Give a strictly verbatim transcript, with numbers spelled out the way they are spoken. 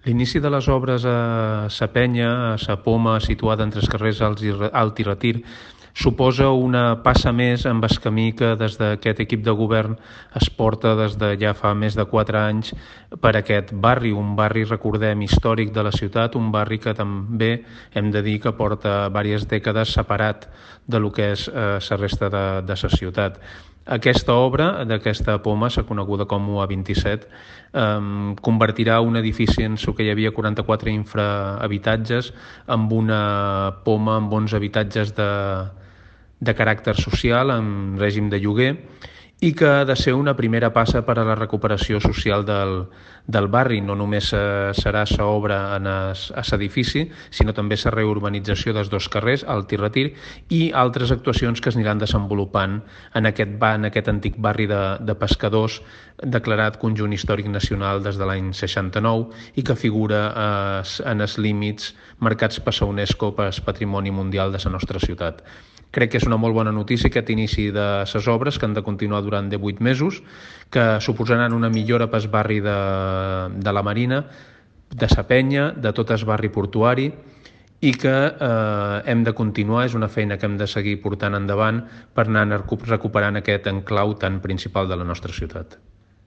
L'inici de les obres a Sa Penya, a Sa Poma, situada entre els carrers Alt i Retir, suposa una passa més en el camí que des d'aquest equip de govern es porta des de ja fa més de quatre anys per aquest barri, un barri, recordem, històric de la ciutat, un barri que també hem de dir que porta diverses dècades separat de lo que és eh, la resta de, de la ciutat. Aquesta obra d'aquesta poma, s'ha coneguda com U A vint-i-set, eh, convertirà un edifici en el que hi havia quaranta-quatre infrahabitatges amb una poma amb onze habitatges de, de caràcter social, en règim de lloguer, i que ha de ser una primera passa per a la recuperació social del, del barri. No només serà l'obra en l'edifici, sinó també la reurbanització dels dos carrers, Alt i Retir, i altres actuacions que es aniran desenvolupant en aquest, en aquest antic barri de, de pescadors, declarat Conjunt Històric Nacional des de l'any seixanta-nou i que figura eh, en els límits marcats per la UNESCO per al Patrimoni Mundial de la nostra ciutat. Crec que és una molt bona notícia aquest inici de les obres, que han de continuar durant divuit mesos, que suposaran una millora pel barri de, de la Marina, de Sa Penya, de tot el barri portuari, i que eh, hem de continuar, és una feina que hem de seguir portant endavant per anar recuperant aquest enclau tan principal de la nostra ciutat.